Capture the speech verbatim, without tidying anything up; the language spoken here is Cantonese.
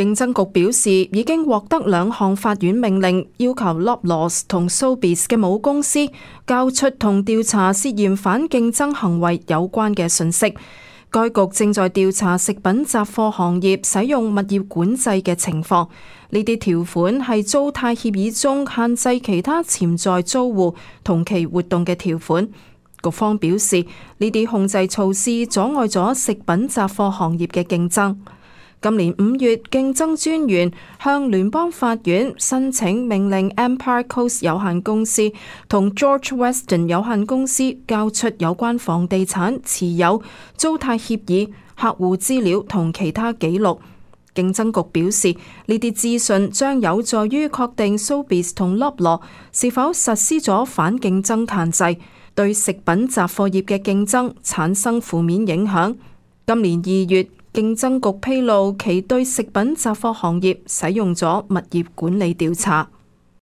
競爭局表示，已經獲得兩項法院命令，要求 Loblaws 同 Sobeys 嘅母公司交出同調查涉嫌反競爭行為有關嘅信息。該局正在調查食品雜貨行業使用物業管制嘅情況。呢啲條款係租貸協議中限制其他潛在租戶同其活動嘅條款。局方表示，呢啲控制措施阻礙咗食品雜貨行業嘅競爭。今年五月，競爭專員向聯邦法院申請命令 Empire Coast 有限公司同 George Weston 有限公司交出有關房地產持有、租貸協議、客戶資料同其他記錄。競爭局表示，呢啲資訊將有助於確定 Sobeys 同 Loblaw 是否實施咗反競爭限制，對食品雜貨業嘅競爭產生負面影響。今年二月，競爭局披露其對食品雜貨行業使用咗物業管理調查。